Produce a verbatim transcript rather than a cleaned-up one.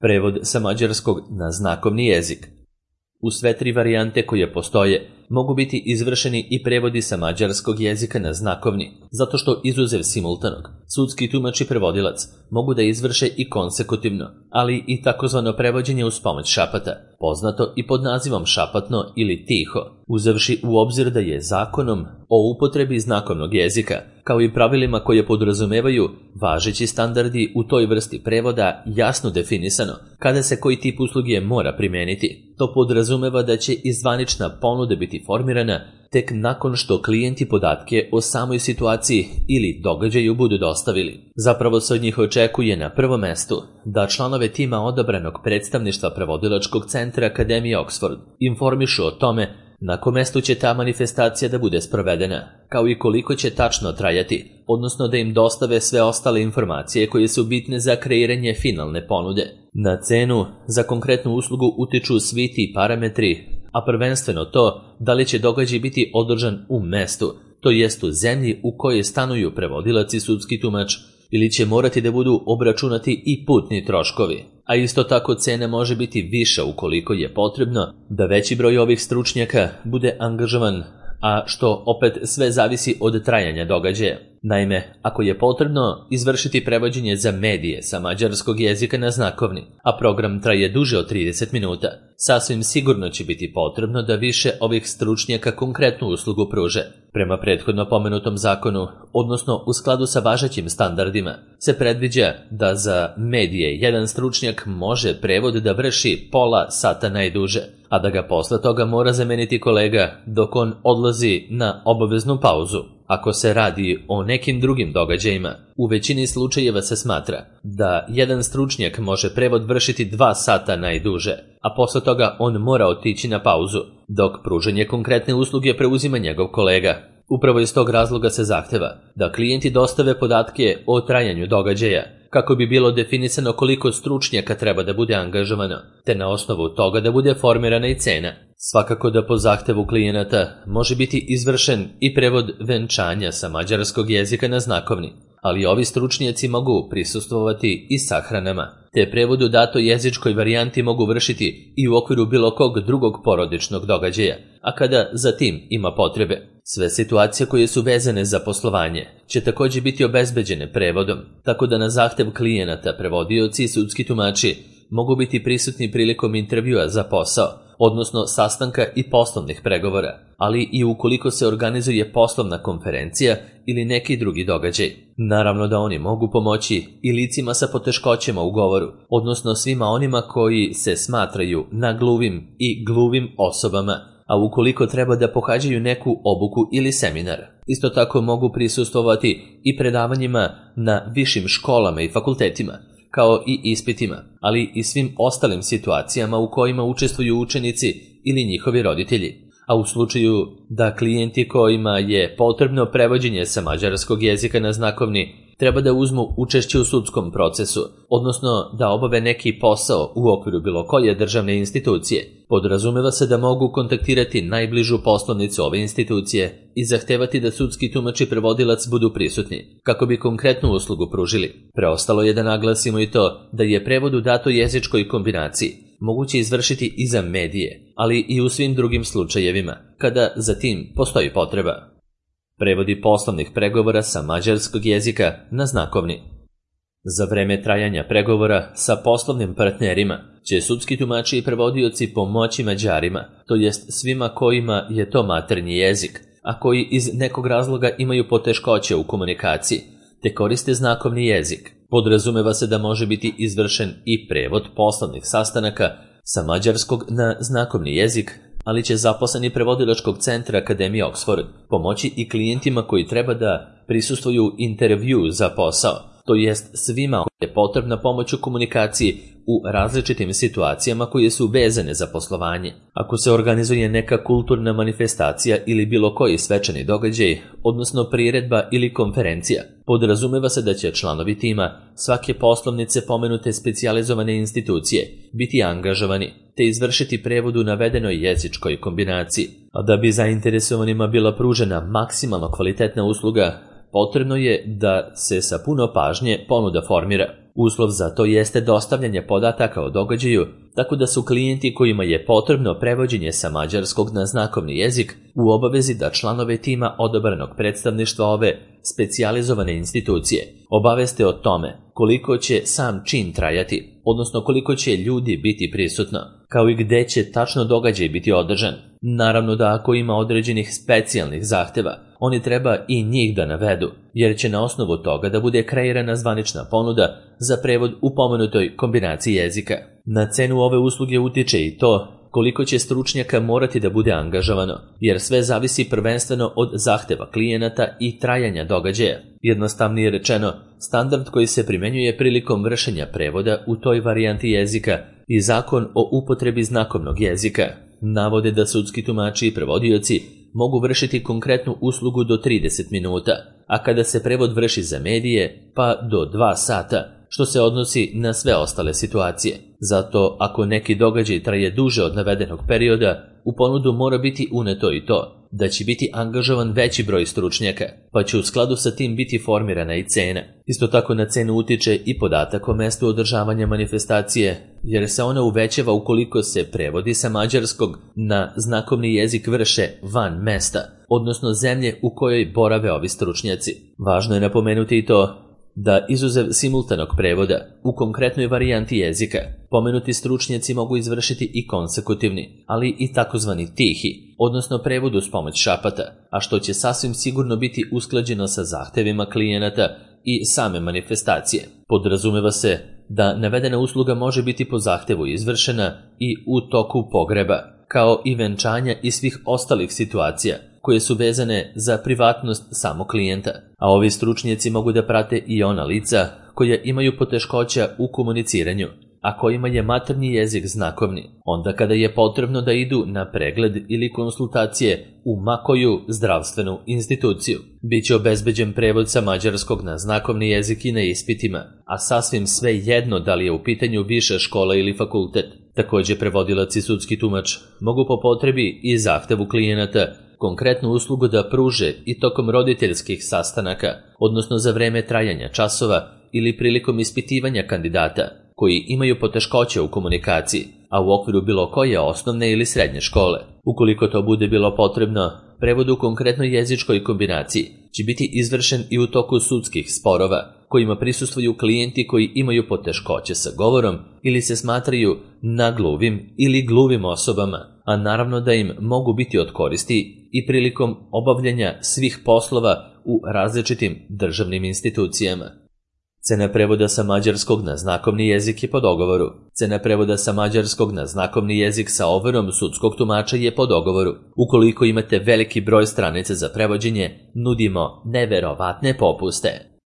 Prevod sa mađarskog na znakovni jezik. U sve tri varijante koje postoje mogu biti izvršeni i prevodi sa mađarskog jezika na znakovni, zato što izuzev simultanog, sudski tumač i prevodilac mogu da izvrše i konsekutivno, ali i takozvano prevođenje uz pomoć šapata, poznato i pod nazivom šapatno ili tiho, uzevši u obzir da je zakonom o upotrebi znakovnog jezika, kao i pravilima koje podrazumevaju važeći standardi u toj vrsti prevoda jasno definisano kada se koji tip usluge mora primeniti. To podrazumeva da će i zvanična ponuda biti formirana tek nakon što klijenti podatke o samoj situaciji ili događaju budu dostavili. Zapravo se od njih očekuje na prvom mestu da članove tima odabranog predstavništva prevodilačkog centra Akademije Oxford informišu o tome na kom mestu će ta manifestacija da bude sprovedena, kao i koliko će tačno trajati, odnosno da im dostave sve ostale informacije koje su bitne za kreiranje finalne ponude. Na cenu za konkretnu uslugu utiču svi ti parametri, a prvenstveno to da li će događaj biti održan u mestu, to jest u zemlji u kojoj stanuju prevodilac i sudski tumač, ili će morati da budu obračunati i putni troškovi. A isto tako cena može biti viša ukoliko je potrebno da veći broj ovih stručnjaka bude angažovan, a što opet sve zavisi od trajanja događaja. Naime, ako je potrebno izvršiti prevođenje za medije sa mađarskog jezika na znakovni, a program traje duže od trideset minuta, sasvim sigurno će biti potrebno da više ovih stručnjaka konkretnu uslugu pruže. Prema prethodno pomenutom zakonu, odnosno u skladu sa važećim standardima, se predviđa da za medije jedan stručnjak može prevod da vrši pola sata najduže, a da ga posle toga mora zameniti kolega dok on odlazi na obaveznu pauzu. Ako se radi o nekim drugim događajima, u većini slučajeva se smatra da jedan stručnjak može prevod vršiti dva sata najduže, a posle toga on mora otići na pauzu, dok pružanje konkretne usluge preuzima njegov kolega. Upravo iz tog razloga se zahteva da klijenti dostave podatke o trajanju događaja, kako bi bilo definisano koliko stručnjaka treba da bude angažovano, te na osnovu toga da bude formirana i cena. Svakako da po zahtevu klijenata može biti izvršen i prevod venčanja sa mađarskog jezika na znakovni, ali ovi stručnjaci mogu prisustvovati i sahranama, te prevod u datoj jezičkoj varijanti mogu vršiti i u okviru bilo kog drugog porodičnog događaja, a kada za tim ima potrebe. Sve situacije koje su vezane za poslovanje će također biti obezbeđene prevodom, tako da na zahtev klijenata prevodioci i sudski tumači mogu biti prisutni prilikom intervjua za posao, odnosno sastanka i poslovnih pregovora, ali i ukoliko se organizuje poslovna konferencija ili neki drugi događaj. Naravno da oni mogu pomoći i licima sa poteškoćama u govoru, odnosno svima onima koji se smatraju nagluvim i gluvim osobama, a ukoliko treba da pohađaju neku obuku ili seminar. Isto tako mogu prisustvovati i predavanjima na višim školama i fakultetima, kao i ispitima, ali i svim ostalim situacijama u kojima učestvuju učenici ili njihovi roditelji. A u slučaju da klijenti kojima je potrebno prevođenje sa mađarskog jezika na znakovni treba da uzmu učešće u sudskom procesu, odnosno da obave neki posao u okviru bilo koje državne institucije, podrazumeva se da mogu kontaktirati najbližu poslovnicu ove institucije i zahtevati da sudski tumač i prevodilac budu prisutni, kako bi konkretnu uslugu pružili. Preostalo je da naglasimo i to da je prevod u datoj jezičkoj kombinaciji moguće izvršiti i za medije, ali i u svim drugim slučajevima, kada za tim postoji potreba. Prevodi poslovnih pregovora sa mađarskog jezika na znakovni. Za vreme trajanja pregovora sa poslovnim partnerima će sudski tumači i prevodioci pomoći Mađarima, to jest svima kojima je to maternji jezik, a koji iz nekog razloga imaju poteškoće u komunikaciji, te koriste znakovni jezik. Podrazumeva se da može biti izvršen i prevod poslovnih sastanaka sa mađarskog na znakovni jezik, ali će zaposleni prevodilačkog centra Akademije Oxford pomoći i klijentima koji treba da prisustvuju intervju za posao, to jest svima koji je potrebna pomoć u komunikaciji u različitim situacijama koje su vezane za poslovanje. Ako se organizuje neka kulturna manifestacija ili bilo koji svečani događaj, odnosno priredba ili konferencija, podrazumeva se da će članovi tima svake poslovnice pomenute specijalizovane institucije biti angažovani te izvršiti prevod u navedenoj jezičkoj kombinaciji. A da bi zainteresovanima bila pružena maksimalno kvalitetna usluga, potrebno je da se sa puno pažnje ponuda formira. Uslov za to jeste dostavljanje podataka o događaju, tako da su klijenti kojima je potrebno prevođenje sa mađarskog na znakovni jezik u obavezi da članove tima odabranog predstavništva ove specijalizovane institucije obaveste o tome koliko će sam čin trajati, odnosno koliko će ljudi biti prisutno, kao i gde će tačno događaj biti održan. Naravno da ako ima određenih specijalnih zahteva, oni treba i njih da navedu, jer će na osnovu toga da bude kreirana zvanična ponuda za prevod u pomenutoj kombinaciji jezika. Na cenu ove usluge utiče i to koliko će stručnjaka morati da bude angažovano, jer sve zavisi prvenstveno od zahteva klijenata i trajanja događaja. Jednostavnije rečeno, standard koji se primenjuje prilikom vršenja prevoda u toj varijanti jezika i zakon o upotrebi znakovnog jezika navode da sudski tumači i prevodioci mogu vršiti konkretnu uslugu do trideset minuta, a kada se prevod vrši za medije, pa do dva sata, što se odnosi na sve ostale situacije. Zato, ako neki događaj traje duže od navedenog perioda, u ponudu mora biti uneto i to, da će biti angažovan veći broj stručnjaka, pa će u skladu sa tim biti formirana i cena. Isto tako na cenu utiče i podatak o mestu održavanja manifestacije, jer se ona uvećava ukoliko se prevodi sa mađarskog na znakovni jezik vrše van mesta, odnosno zemlje u kojoj borave ovi stručnjaci. Važno je napomenuti i to da izuzev simultanog prevoda u konkretnoj varijanti jezika, pomenuti stručnjaci mogu izvršiti i konsekutivni, ali i takozvani tihi, odnosno prevod uz pomoć šapata, a što će sasvim sigurno biti usklađeno sa zahtevima klijenata i same manifestacije. Podrazumeva se da navedena usluga može biti po zahtevu izvršena i u toku pogreba, kao i venčanja i svih ostalih situacija koje su vezane za privatnost samog klijenta, a ovi stručnjaci mogu da prate i ona lica koja imaju poteškoća u komuniciranju, a kojima je maternji jezik znakovni, onda kada je potrebno da idu na pregled ili konsultacije u makoju zdravstvenu instituciju. Biće obezbeđen prevod sa mađarskog na znakovni jezik i na ispitima, a sasvim sve jedno da li je u pitanju viša škola ili fakultet. Također prevodilac i sudski tumač mogu po potrebi i zahtevu klijenata konkretnu uslugu da pruže i tokom roditeljskih sastanaka, odnosno za vreme trajanja časova ili prilikom ispitivanja kandidata koji imaju poteškoće u komunikaciji, a u okviru bilo koje osnovne ili srednje škole. Ukoliko to bude bilo potrebno, prevod u konkretnoj jezičkoj kombinaciji će biti izvršen i u toku sudskih sporova, kojima prisustvuju klijenti koji imaju poteškoće sa govorom ili se smatraju nagluvim ili gluvim osobama, a naravno da im mogu biti od koristi i prilikom obavljanja svih poslova u različitim državnim institucijama. Cena prevoda sa mađarskog na znakovni jezik je po dogovoru. Cena prevoda sa mađarskog na znakovni jezik sa overom sudskog tumača je po dogovoru. Ukoliko imate veliki broj stranica za prevođenje, nudimo neverovatne popuste.